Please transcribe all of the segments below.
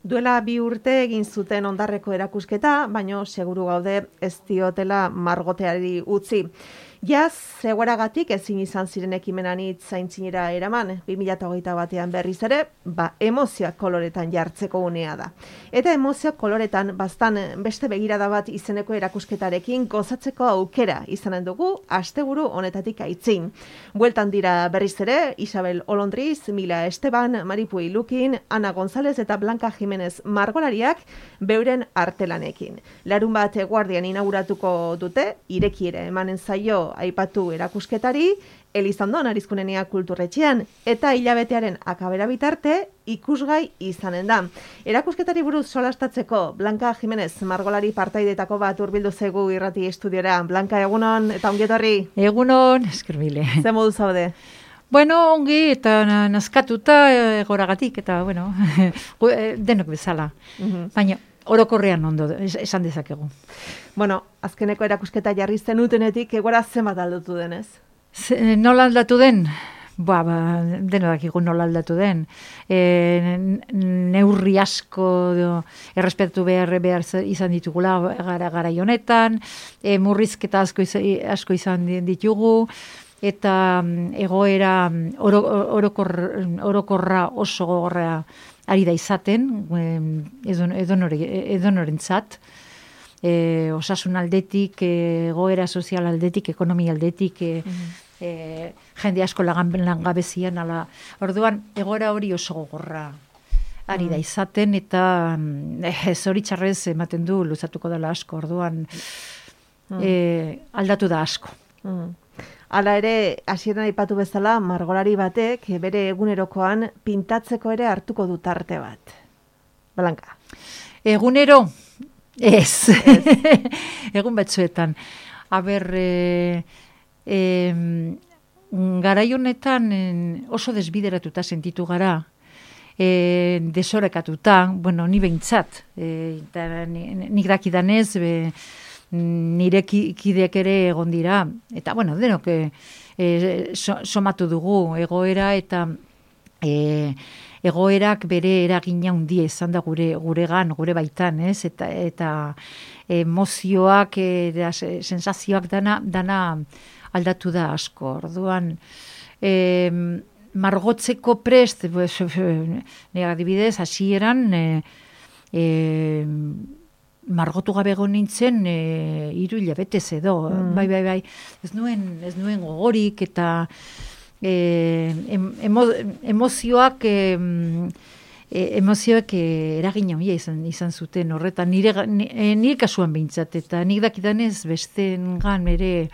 Duela 2 urte egin zuten Ondarreko erakusketa, baino seguru gaude ez diotela margoteari utzi. Jaz, egoeragatik ezin izan ziren ekimenan zaintzinera eraman, 2021 berriz ere, emozioak koloretan jartzeko unea da. Eta emozioak koloretan bastan beste begirada bat izeneko erakusketarekin gozatzeko aukera izanen dugu asteburu honetatik aitzin. Bueltan dira berriz ere, Isabel Olondriz, Mila Esteban, Maripui Lukin, Ana González eta Blanca Jimenez margolariak beuren artelanekin. Larunbat eguardian inauguratuko dute, irekiera emanen zaio aipatu erakusketari, Elizandon Arizkunenea kulturretxean, eta hilabetearen akabera bitarte ikusgai izanen da. Erakusketari buruz solastatzeko, Blanca Jimenez margolari partaidetako bat hurbildu zaigu irrati estudiora. Blanca, egunon eta ongietorri. Egunon, eskerbile. Ze modu zaude? Bueno, ongi eta nazkatuta egoragatik, eta bueno, denok bezala. Baina, orokorrean ondo, esan dezakegu. Bueno, azkeneko erakusketa jarri zenutenetik egora zenbat aldatu denez? Nola aldatu den? Deno dakigu nola aldatu den. Neurri asko errespetatu behar izan ditugula gara honetan, murrizketa asko izan ditugu, eta egoera orokorra oso gogorra ari da izaten, edonorentzat, osasun aldetik, egoera sozial aldetik, ekonomia aldetik, jende asko langabezian, orduan egoera hori oso gogorra ari da izaten, eta zoritxarrez ematen du luzatuko dela asko, orduan aldatu da asko. Hala ere, hasieran aipatu bezala, margolari batek bere egunerokoan pintatzeko ere hartuko du tarte bat. Blanca. Egunero? Ez. Egun batzuetan. Garai honetan oso desbideratuta sentitu gara, desorekatuta, bueno, ni behintzat, nik dakidanez, nire kideak ere egon dira, eta bueno, denok somatu dugu egoera, eta egoerak bere eragina handia izan da guregan, gure baitan, ez? Eta emozioak, sensazioak dana aldatu da asko. Orduan, margotzeko prest, nire adibidez, hasieran, margotu gabe egon nintzen 3 hilabetez edo, bai, ez nuen gogorik, eta emozioak eragina handia izan zuten horretan, nire kasuan behintzat, eta nik dakidanez bestengan ere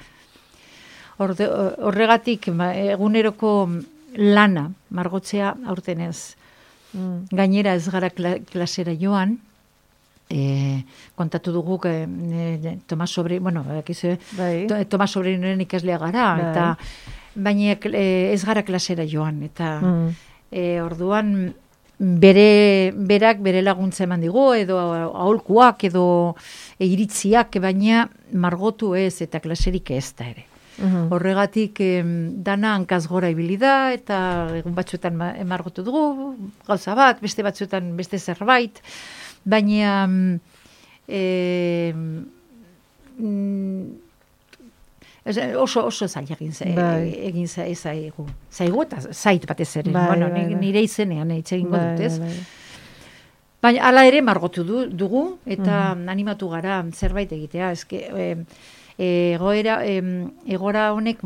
horregatik eguneroko lana margotzea aurtenez. Gainera ez gara klasera joan, kontatu dugu Tomas Sobrinoren ikaslea gara, eta baina ez gara klasera joan, eta orduan berak bere laguntza eman digu, edo aholkuak, edo iritziak, baina margotu ez, eta klaserik ez da ere. Horregatik dana hankaz gora ibili da, eta egun batzuetan margotu dugu, gauza bat, beste batzuetan beste zerbait, baina oso zail egin zaigu, eta zait batez ere, nire izenean egingo dut, ez? Baina hala ere margotu dugu, eta animatu gara zerbait egitea, egora honek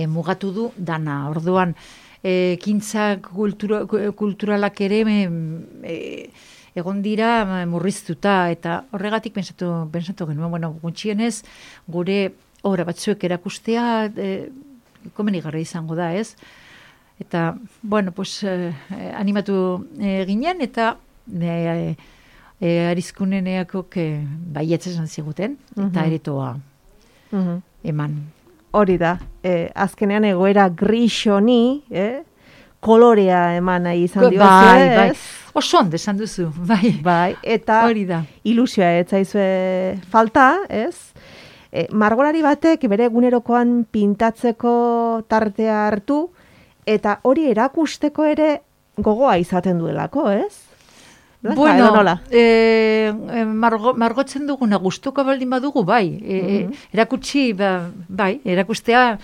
mugatu du dana, orduan ekintza kulturalak ere egon dira murriztuta, eta horregatik pensatu genuen, bueno, gutxienez gure obra batzuek erakustea komenigarria izango da, ez? Eta, bueno, pues animatu ginen, eta Arizkuneneakok baietz esan ziguten, eta eretoa eman. Hori da, azkenean egoera gris honi, kolorea eman nahi izan diozu, bai. Oso ondo esan duzu, bai. Eta ilusioa ez zaizue falta, ez? Margolari batek bere egunerokoan pintatzeko tartea hartu, eta hori erakusteko ere gogoa izaten duelako, ez? Bueno, margotzen duguna gustuko baldin badugu, bai. Erakutsi, bai, erakustea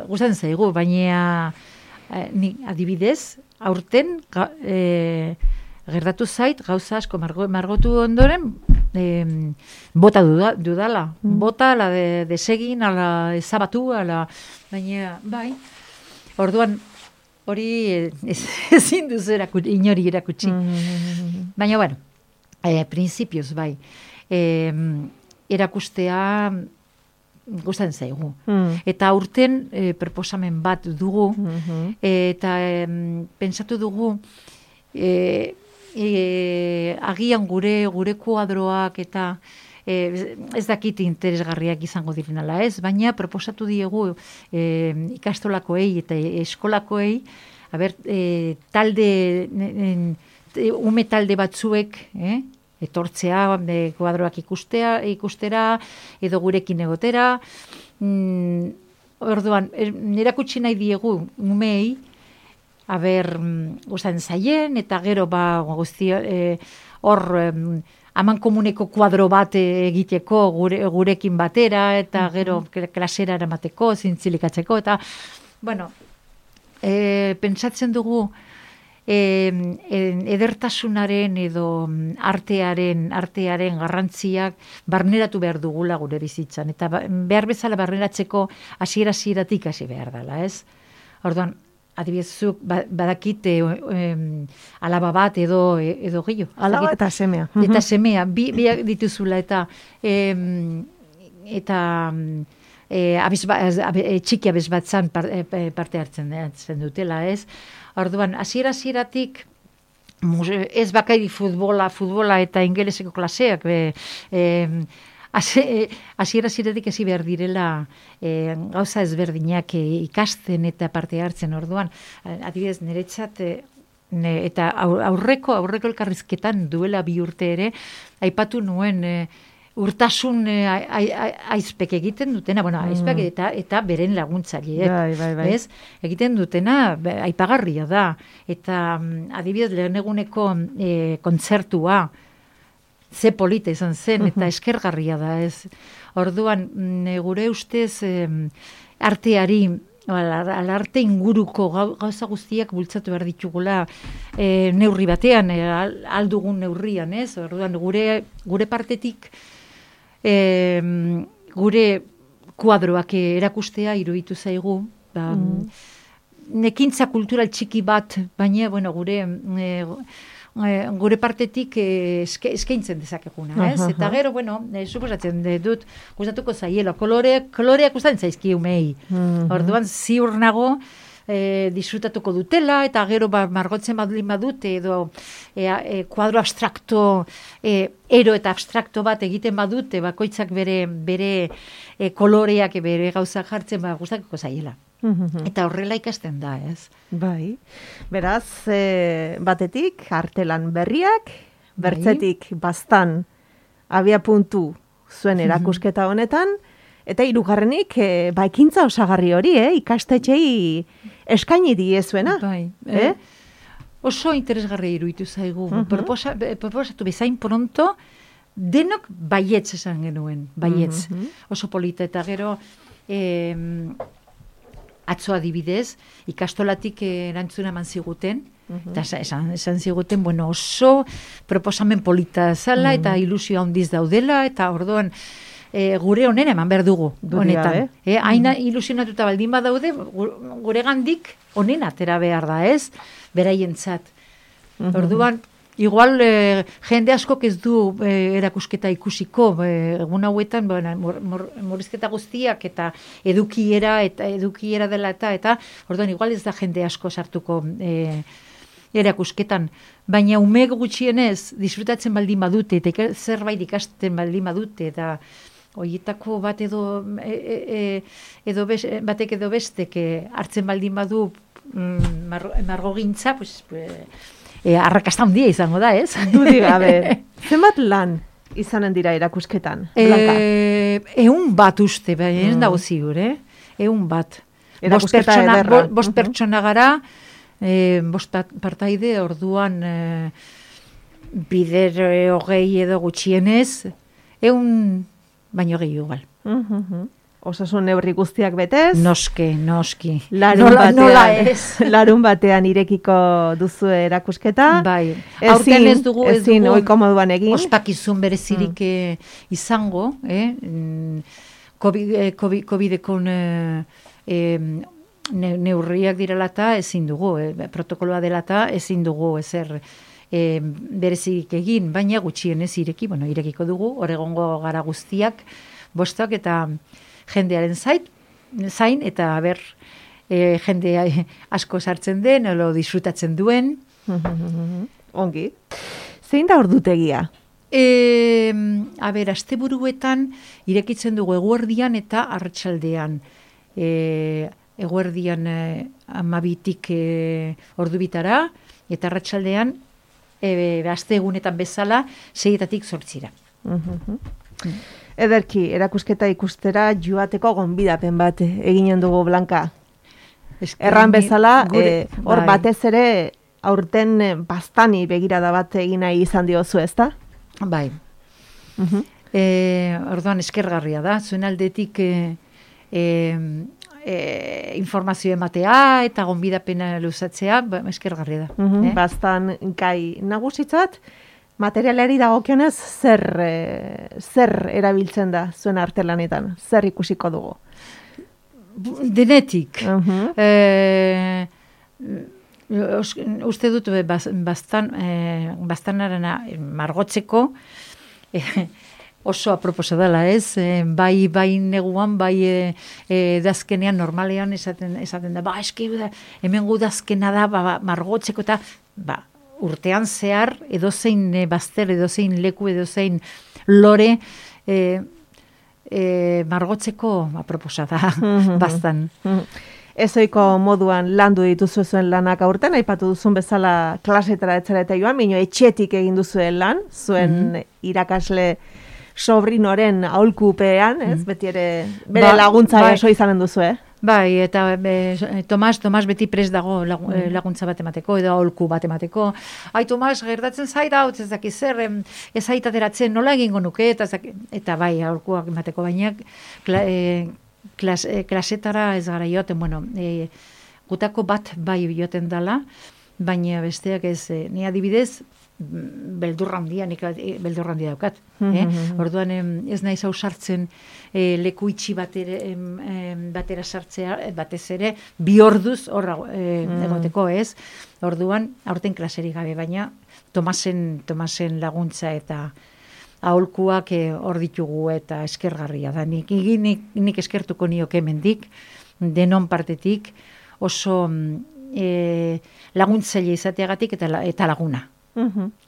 gustatzen zaigu, baina ni adibidez, aurten gertatu zait, gauza asko margotu ondoren, bota dudala. Bota, ala desegin, ala ezabatu, baina, bai. Orduan, hori ezin duzu inori erakutsi. Baina, bueno, prinsipioz, bai. Erakustea gustatzen zaigu. Eta aurten proposamen bat dugu, eta pentsatu dugu, agian gure kuadroak eta ez dakit interesgarriak izango direnala, ez? Baina proposatu diegu ikastolakoei eta eskolakoei, ume talde batzuek, etortzea, kuadroak ikustera, edo gurekin egotera. Orduan, erakutsi nahi diegu umei, gustatzen zaien, eta gero guztia, hor, aman komuneko kuadro bat egiteko gurekin batera, eta gero klasera eramateko, zintzilikatzeko, eta, bueno, pentsatzen dugu, edertasunaren edo artearen garrantziak barneratu behar dugula gure bizitzan, eta behar bezala barneratzeko hasieratik hasi behar dela, ez? Orduan, adibidezuk badakit alaba bat edo gehiago. Alaba eta semea. Eta semea, biak dituzula eta txiki abez bat zan parte hartzen dutela, ez? Orduan, hasieratik ez bakai futbola eta ingeleseko klaseak, hasieratik hasi behar direla gauza ezberdinak ikasten eta parte hartzen. Orduan, adibidez, niretzat eta aurreko elkarrizketan duela 2 urte ere, aipatu nuen urtasun aizpek egiten dutena, aizpek eta beren laguntzaileek, ez? Egiten dutena aipagarria da, eta adibidez lehen eguneko kontzertua, ze polita izan zen, eta eskergarria da, ez? Orduan, gure ustez arteari, arte inguruko gauza guztiak bultzatu behar ditugula neurri batean, aldugun neurrian, ez? Orduan, gure partetik gure kuadroak erakustea iruditu zaigu, nekintza kultural txiki bat, baina, gure partetik eskaintzen dezakeguna, ez? Eta gero, suposatzen dut, gustatuko zaiela, koloreak gustatzen zaizki umei. Orduan, ziur nago, disfrutatuko dutela, eta gero margotzen badulin badute, edo kuadro abstrakto, ero eta abstrakto bat egiten badute, bakoitzak bere koloreak, bere gauzak jartzen, gustatuko zaiela. Eta horrela ikasten da, ez? Bai. Beraz, batetik, artelan berriak, bertzetik bastan abia puntu zuen erakusketa honetan, eta hirugarrenik, ekintza osagarri hori, ikastetxei eskaini diezuena. Bai. Oso interesgarri iruditu zaigu. Proposatu bezain pronto, denok baietz esan genuen, baietz. Oso polita, eta gero atzo adibidez, ikastolatik erantzuna eman ziguten, eta esan ziguten, oso proposamen polita zala, eta ilusio handiz daudela, eta orduan, gure honena eman behar dugu, honetan. Haina ilusionatuta baldin badaude, gure gandik honena atera behar da, ez? Beraientzat. Orduan, igual jende askok ez du erakusketa ikusiko, egun hauetan, murrizketa guztiak eta edukiera dela eta orduan, igual ez da jende asko sartuko erakusketan. Baina ume gutxienez, disfrutatzen baldin badute, eta zerbait ikasten baldin badute, eta horietako bat batek edo bestek hartzen baldin badu margogintza, arrakasta handia izango da, ez? Dudik gabe. Zenbat lan izanen dira erakusketan? 100 bat uste, ez dago ziur, 100 bat. Erakusketa ederra. 5 pertsona gara, 5 partaide, orduan bider 20 edo gutxienez, 100 baino gehiago igual. Osasun neurri guztiak betez. Noski. Nola ez. Larun batean irekiko duzu erakusketa. Bai. Aurten ez dugu ohiko moduan egin. Ospakizun berezirik izango, COVID-eko neurriak direlata ezin dugu, protokoloa delata ezin dugu ezer berezik egin, baina gutxienez irekiko dugu, hor egongo gara guztiak, bostak eta jendearen zain, eta jende asko sartzen den, olo disfrutatzen duen. Ongi. Zein da ordutegia? Asteburuetan irekitzen dugu eguerdian eta arratsaldean. Eguerdian 12tik ordubitara, eta arratsaldean aste egunetan bezala 6-tatik 8-ra. Ederki, erakusketa ikustera joateko gonbidapen bat eginen dugu, Blanka. Erran bezala, hor batez ere aurten bastani begirada bat egin nahi izan diozu, ezta? Bai. Orduan eskergarria da, zuen aldetik informazio ematea eta gonbidapena luzatzea, eskergarria da. Bastan gai nagusitzat, materialari dagokionez zer erabiltzen da zuen artelanetan? Zer ikusiko dugu? Denetik. Uste dut bastanarena margotzeko oso aproposa dela, ez? Bai neguan, bai dazkenean, normalean esaten da, hemen gu dazkena da, margotzeko eta, urtean zehar, edozein bazter, edozein leku, edozein lore, margotzeko aproposa da, bastan. Ezoiko moduan landu dituzu zuen lanak aurten, aipatu duzun bezala klasetara etzara eta joan, bino etxetik egin duzuen lan, zuen irakasle sobrinoren aholkupean, ez? Beti ere bere laguntza oso izanen duzu, Bai, eta Tomas beti prest dago laguntza bat emateko, edo aholku bat emateko. Ai, Tomas, gertatzen zaita, ez daki zer, ez aitateratzen nola egingo nuke, eta bai, aholkuak emateko, baina klasetara ez gara joten, gutako bat bai joten dala, baina besteak ez, ni adibidez, beldurra handia daukat. Orduan ez naiz ausartzen leku itxi batera sartzea, batez ere, 2 orduz hor egoteko, ez? Orduan, aurten klaserik gabe, baina Tomasen laguntza eta aholkuak hor ditugu eta eskergarria da. Nik eskertuko nioke hemendik, denon partetik, oso laguntzaile izateagatik eta laguna.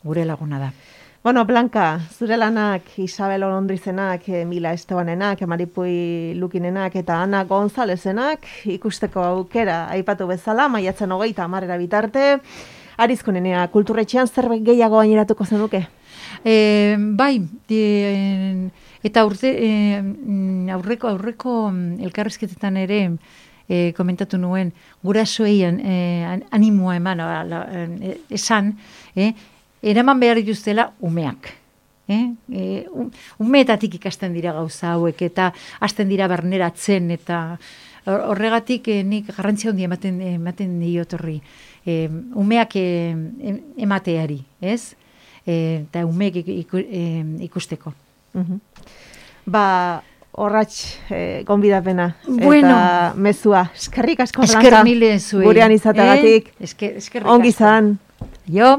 Gure laguna da. Bueno, Blanka, zure lanak Isabel Olondrizenak, Mila Estebanenak, Maripui Lukinenak eta Ana Gonzalezenak ikusteko aukera aipatu bezala, maiatzen 30 bitarte, Arizkunenea kulturretxean zerbait gehiago gaineratuko zenuke? Bai, eta aurreko elkarrizketetan ere komentatu nuen, gurasoei animoa eman, esan, eraman behar dituztela umeak. Umeetatik ikasten dira gauza hauek, eta hasten dira barneratzen, eta horregatik nik garrantzia handia ematen diot horri. Umeak emateari, ez? Eta umeek ikusteko. Horratx gonbidapena eta mezua. Eskerrik asko, Blanka. Esker mile zuei. Gurean izatagatik. Eskerrik asko. Ongi zan. Jo.